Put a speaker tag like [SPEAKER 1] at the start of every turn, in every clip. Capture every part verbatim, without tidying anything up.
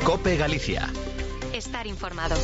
[SPEAKER 1] COPE Galicia.
[SPEAKER 2] Estar informado.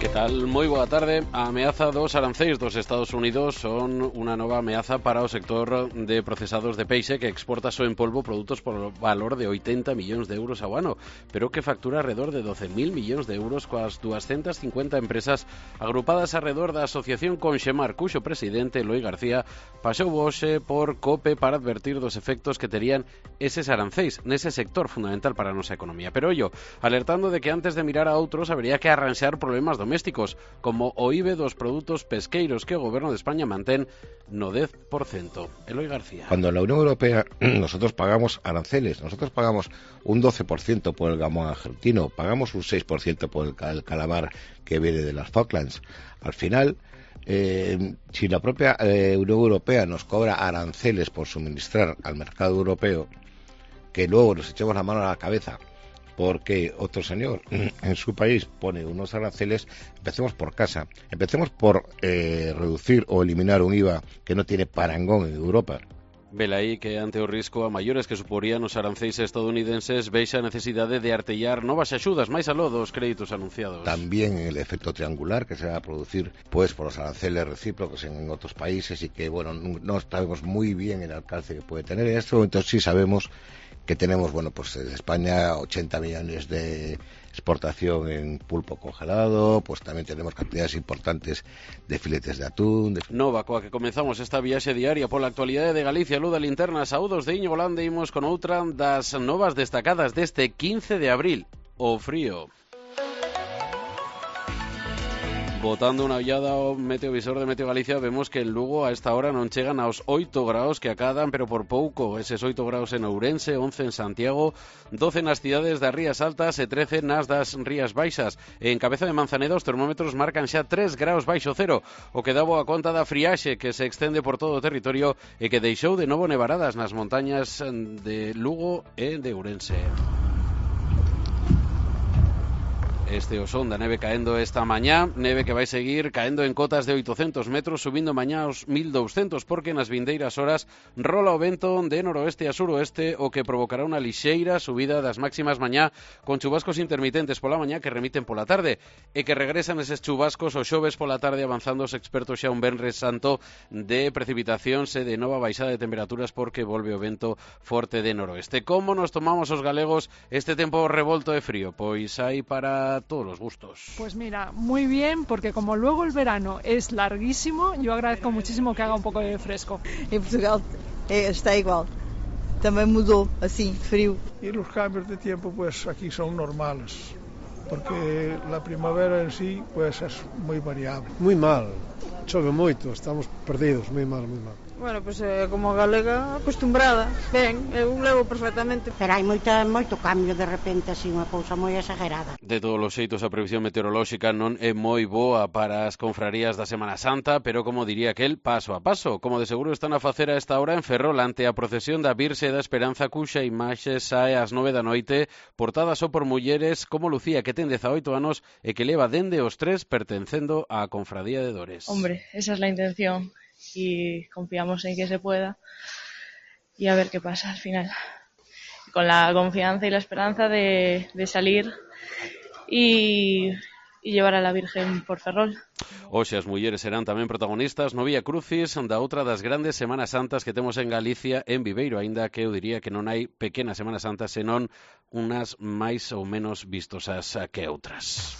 [SPEAKER 3] Que tal? Moi boa tarde. A ameaza dos aranceis dos Estados Unidos son unha nova ameaza para o sector de procesados de peixe que exporta só en polvo produtos por valor de oitenta millóns de euros ao ano, pero que factura alrededor de doce mil millóns de euros coas doscientas cincuenta empresas agrupadas alrededor da asociación Conxemar, cuxo presidente, Eloi García, pasou hoxe por COPE para advertir dos efectos que terían eses aranceis nese sector fundamental para a nosa economía. Pero ollo, alertando de que antes de mirar a outros habería que arranxar problemas domésticos, como o I B E dos produtos pesqueiros que o Goberno de España mantén no dez por cento. Eloi García.
[SPEAKER 4] Cuando en la Unión Europea nosotros pagamos aranceles, nosotros pagamos un doce por ciento por el gamón argentino, pagamos un seis por ciento por el calamar que viene de las Falklands. Al final, eh, si la propia eh, Unión Europea nos cobra aranceles por suministrar al mercado europeo, que luego nos echemos la mano a la cabeza porque otro señor en su país pone unos aranceles, empecemos por casa, empecemos por eh, reducir o eliminar un I V A que no tiene parangón en Europa.
[SPEAKER 3] Velaí que ante o risco a maiores que suporían os aranceis estadounidenses vexa a necesidade de artellar novas axudas máis aló dos créditos anunciados.
[SPEAKER 4] También el efecto triangular que se va a producir pues por los aranceles recíprocos en otros países y que bueno no sabemos muy bien el alcance que puede tener. En este momento sí sabemos que tenemos, bueno, pues en España ochenta millones de exportación en pulpo congelado, pues también tenemos cantidades importantes de filetes de atún. De...
[SPEAKER 3] Nova, coa que comenzamos esta viaxe diaria pola actualidade de Galicia, Luda Linterna, saúdos de Íñigo Lande, imos con outra das novas destacadas deste quince de abril, o frío. Botando unha ollada ao meteovisor de Meteo Galicia, vemos que en Lugo a esta hora non chegan aos oito graus que acadan, pero por pouco. Eses oito graus en Ourense, once en Santiago, doce nas cidades das Rías Altas e trece nas das Rías Baixas. En Cabeza de Manzaneda os termómetros marcan xa tres graus baixo cero, o que dá boa conta da friaxe que se extende por todo o territorio e que deixou de novo nevaradas nas montañas de Lugo e de Ourense. Este o son da neve caendo esta mañá, neve que vai seguir caendo en cotas de oitocentos metros, subindo mañá aos mil doscientos, porque nas vindeiras horas rola o vento de noroeste a suroeste, o que provocará unha lixeira subida das máximas mañá, con chubascos intermitentes pola mañá que remiten pola tarde, e que regresan eses chubascos o xoves pola tarde, avanzando os expertos xa un venres santo de precipitacións e de nova baixada de temperaturas, porque volve o vento forte de noroeste. Como nos tomamos os galegos este tempo revolto e frío? Pois hai para todos los gustos.
[SPEAKER 5] Pues mira, muy bien, porque como luego el verano es larguísimo, yo agradezco muchísimo que haga un poco de fresco.
[SPEAKER 6] En Portugal eh, está igual, también mudó, así, frío.
[SPEAKER 7] Y los cambios de tiempo pues aquí son normales, porque la primavera en sí pues es muy variable.
[SPEAKER 8] Muy mal, chove moito, estamos perdidos, moi mal, moi mal.
[SPEAKER 9] Bueno, pois pues, eh, como galega acostumbrada, ben, eu levo perfectamente.
[SPEAKER 10] Pero hai moita, moito cambio de repente, así, unha cousa moi exagerada.
[SPEAKER 3] De todos os xeitos, a previsión meteorolóxica non é moi boa para as confrarías da Semana Santa, pero como diría aquel, paso a paso, como de seguro están a facer a esta hora en Ferrol ante a procesión da Virxe da Esperanza, cuxa imaxe sae ás nove da noite, portada só por mulleres como Lucía, que ten dezaoito anos e que leva dende os tres pertencendo á confradía de Dores.
[SPEAKER 11] Hombre, esa es la intención. Y confiamos en que se pueda y a ver qué pasa al final, con la confianza y la esperanza de, de salir y, y llevar a la Virgen por Ferrol.
[SPEAKER 3] Hoxe as mulleres serán tamén protagonistas no Vía Crucis da outra das grandes Semanas Santas que temos en Galicia, en Viveiro, aínda que eu diría que non hai pequenas Semanas Santas, senón unas máis ou menos vistosas que outras.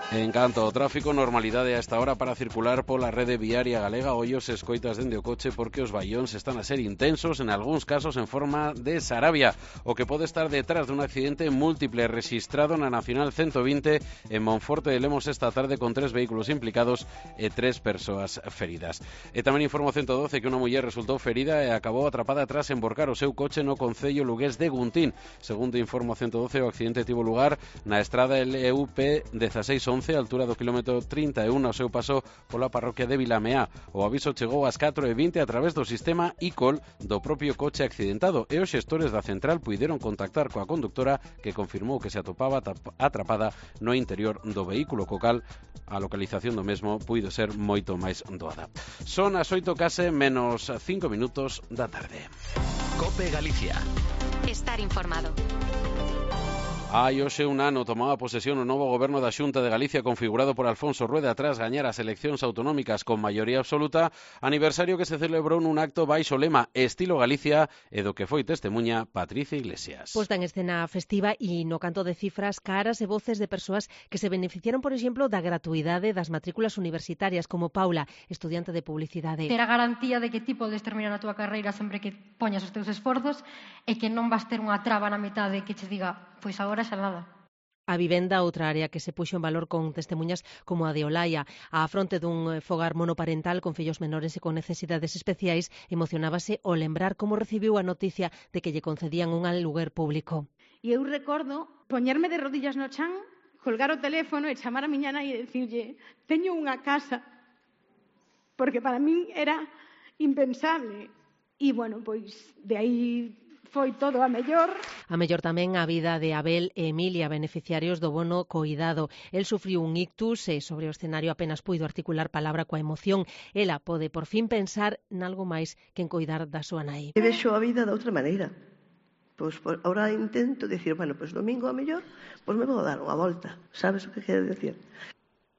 [SPEAKER 3] En canto ao tráfico, normalidade a esta hora para circular pola rede viaria galega. Hoy os escoitas dende o coche porque os baións están a ser intensos, en algúns casos en forma de Sarabia, o que pode estar detrás dun accidente múltiple rexistrado na Nacional ciento vinte en Monforte de Lemos esta tarde, con tres vehículos implicados e tres persoas feridas. E tamén informo ciento doce que unha muller resultou ferida e acabou atrapada tras emborcar o seu coche no concello lugués de Guntín. Segundo informo ciento doce, o accidente tivo lugar na estrada L U P dezasseis once, altura do kilómetro trinta e un, ao seu paso pola parroquia de Vilameá. O aviso chegou ás catro e vinte a través do sistema I-Call do propio coche accidentado, e os xestores da central puideron contactar coa conductora, que confirmou que se atopaba atrapada no interior do vehículo, co cal a localización do mesmo puido ser moito máis doada. Son as oito case menos cinco minutos da tarde.
[SPEAKER 1] COPE Galicia. estar informado.
[SPEAKER 3] Hai hoxe un ano tomaba posesión o novo goberno da Xunta de Galicia configurado por Alfonso Rueda tras gañar as eleccións autonómicas con maioría absoluta, aniversario que se celebrou nun acto baixo lema Estilo Galicia e do que foi testemuña Patricia Iglesias.
[SPEAKER 2] Posta en escena festiva e no canto de cifras, caras e voces de persoas que se beneficiaron, por exemplo, da gratuidade das matrículas universitarias, como Paula, estudiante de publicidade.
[SPEAKER 12] Ter a garantía de que ti podes terminar a túa carreira sempre que poñas os teus esforzos e que non vas ter unha traba na metade que che diga, pois agora xa nada.
[SPEAKER 2] A vivenda, outra área que se puxo en valor con testemuñas como a de Olaya. A fronte dun fogar monoparental con fillos menores e con necesidades especiais, emocionábase ao lembrar como recibiu a noticia de que lle concedían un aluguer público.
[SPEAKER 13] E eu recordo poñerme de rodillas no chan, colgar o teléfono e chamar a miña nai e dicirlle, teño unha casa, porque para min era impensable. E, bueno, pois, de aí foi todo a mellor.
[SPEAKER 2] A mellor tamén a vida de Abel e Emilia, beneficiarios do bono coidado. El sufriu un ictus e sobre o escenario apenas puido articular palabra coa emoción. Ela pode por fin pensar nalgo máis que en coidar da súa nai.
[SPEAKER 14] E vexo a vida de outra maneira. Pois por, ahora intento dicir, bueno, pois domingo a mellor, pois me vou dar unha volta. Sabes o que quero dicir?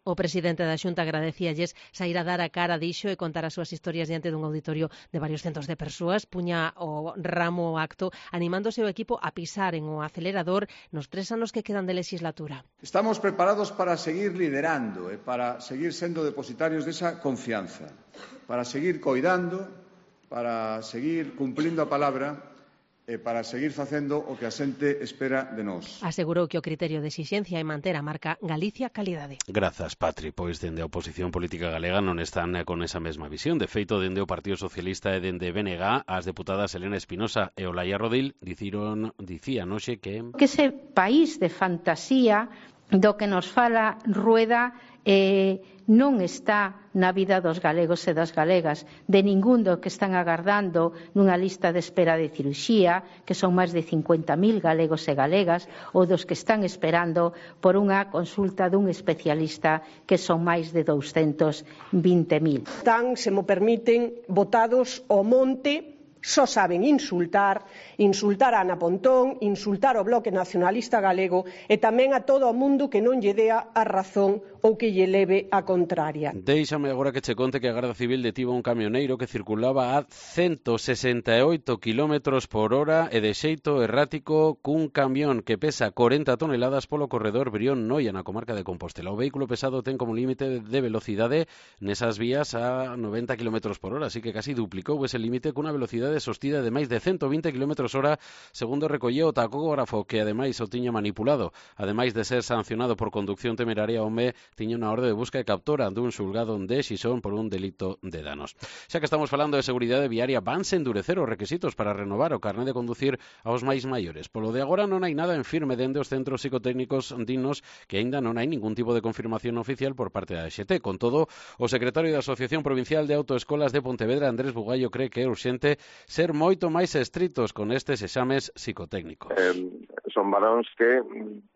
[SPEAKER 2] O presidente da Xunta agradecíalles sair a dar a cara, dixo, e contar as súas historias diante dun auditorio de varios centos de persoas. Puña o ramo o acto animándose o equipo a pisar en o acelerador nos tres anos que quedan de legislatura.
[SPEAKER 15] Estamos preparados para seguir liderando e para seguir sendo depositarios desa confianza, para seguir coidando, para seguir cumplindo a palabra e para seguir facendo o que a xente espera de nós.
[SPEAKER 2] Asegurou que o criterio de exixencia é manter a marca Galicia Calidade.
[SPEAKER 3] Grazas, Patri. Pois dende a oposición política galega non están con esa mesma visión. De feito, dende o Partido Socialista e dende B N G, as deputadas Elena Espinosa e Olaya Rodil diciron, dicían hoxe que...
[SPEAKER 16] Que ese país de fantasía do que nos fala Rueda eh, non está na vida dos galegos e das galegas, de ningún do que están agardando nunha lista de espera de cirurxía, que son máis de cincuenta mil galegos e galegas, ou dos que están esperando por unha consulta dun especialista, que son máis de douscentos vinte mil.
[SPEAKER 17] Están, se mo permiten, botados ao monte, só saben insultar, insultar a Ana Pontón, insultar o Bloque Nacionalista Galego e tamén a todo o mundo que non lle dea a razón ou que lle leve a contraria.
[SPEAKER 3] Déixame agora que che conte que a Garda Civil detivo un camioneiro que circulaba a ciento sesenta e oito kilómetros por hora e de xeito errático cun camión que pesa corenta toneladas polo corredor Brión-Noia na comarca de Compostela. O vehículo pesado ten como límite de velocidade nesas vías a noventa kilómetros por hora, así que casi duplicou ese límite cunha velocidade sostida de máis de ciento vinte kilómetros hora, segundo recolleu o tacógrafo que ademais o tiña manipulado. Ademais de ser sancionado por conducción temeraria, o home tiña unha orde de busca e captura dun xulgado de Xixón por un delito de danos. Xa que estamos falando de seguridade viaria, vanse endurecer os requisitos para renovar o carné de conducir aos máis maiores. Polo de agora non hai nada en firme dende os centros psicotécnicos dignos, que aínda non hai ningún tipo de confirmación oficial por parte da E X T. Con todo, o secretario da Asociación Provincial de Autoescolas de Pontevedra, Andrés Bugallo, cree que é urxente ser moito máis estritos con estes exames psicotécnicos.
[SPEAKER 18] Eh, son varóns que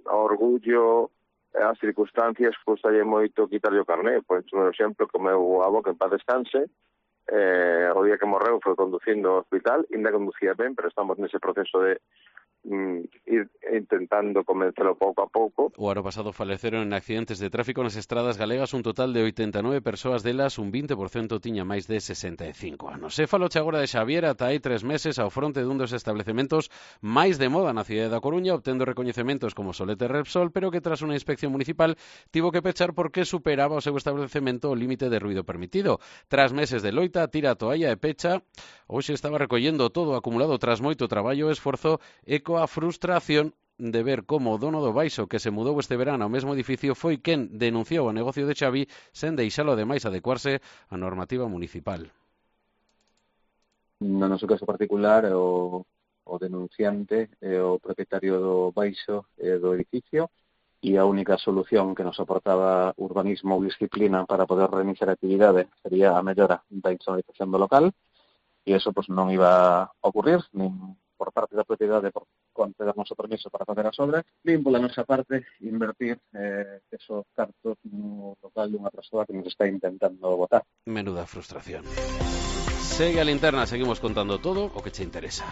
[SPEAKER 18] a orgullo as circunstancias custalle moito quitarlle o carné. Pois un exemplo, que o meu avó, que en paz descanse, eh, o día que morreu foi conducindo ao hospital, ainda conducía ben, pero estamos nese proceso de mm, ir intentando convencelo pouco a pouco.
[SPEAKER 3] O ano pasado faleceron en accidentes de tráfico nas estradas galegas un total de oitenta e nove persoas, delas un vinte por cento tiña máis de sesenta e cinco anos. Se faloche agora de Xavier, ata hai tres meses ao fronte dun dos establecementos máis de moda na cidade da Coruña, obtendo recoñecementos como Solete Repsol, pero que tras unha inspección municipal tivo que pechar porque superaba o seu establecemento o límite de ruido permitido. Tras meses de loita, tira a toalla e pecha. Hoxe estaba recollendo todo acumulado tras moito traballo e esforzo e coa frustración de ver como o dono do baixo que se mudou este verano ao mesmo edificio foi quen denunciou o negocio de Xavi sen deixalo ademais adecuarse á normativa municipal.
[SPEAKER 19] No noso caso particular, o, o denunciante é o propietario do baixo e do edificio, e a única solución que nos aportaba urbanismo ou disciplina para poder reiniciar a actividade sería a mellora da insonorización do local, e eso pues, non iba a ocurrir, nin por parte da propiedade por conta do noso permiso para facer as obras, nin pola nosa parte invertir eh, esos cartos no local dunha persoa que nos está intentando botar.
[SPEAKER 3] Menuda frustración. Segue a linterna, seguimos contando todo o que che interesa.